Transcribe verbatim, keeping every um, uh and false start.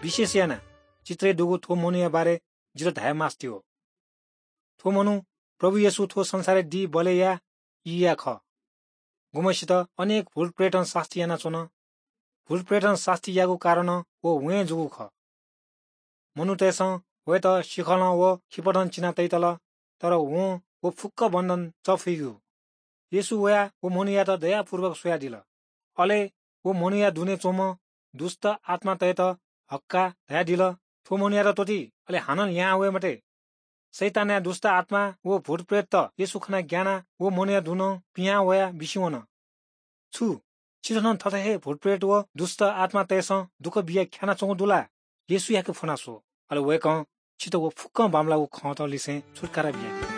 विशेष यानाः चित्रय् दुगु थ्व मनूया बारे जितः धाये मास्ति हो। थ्व मनू प्रभु येशू थ्व संसारय् दीबलय्‌या ईया खः, गुम्हसित अनेक भूतप्रेतं सास्ती यानाच्वन। भूतप्रेतं सास्ती याःगु कारणं व वँय् जूगु खः। मनूतय्‌सं वयात सिखलं व खिपतं चिना तइतल, तर वं व फुक्क बन्धन चफुइगु। येशू वयाः व मनूयात दयापूर्वक स्वयादिल। अले व मनूया दुने च्वंम्ह दुष्‍ट आत्‍मातय्‌त हक्‍काः धयादिल, "थ्‍व मनूयात त्‍वःति, अले हानं लिहां वये मते।" शैतानया दुष्‍ट आत्‍मा व भूतप्रेतत येशू खनाः ग्‍यानाः व मनूया दुने पिहां वयाः बिस्‍युं वन, "छु, छितः नं थथे हे भूतप्रेत व दुष्‍ट आत्‍मातय्‌सं दुःख बियाः ख्‍यानाच्‍वंगु दु ला? येशूयाके फ्‍वना स्‍व, अले वय्‌कलं छितः व फुक्‍कं बांमलाःगु खँत लिसें छुत्‍कारा बियादी।"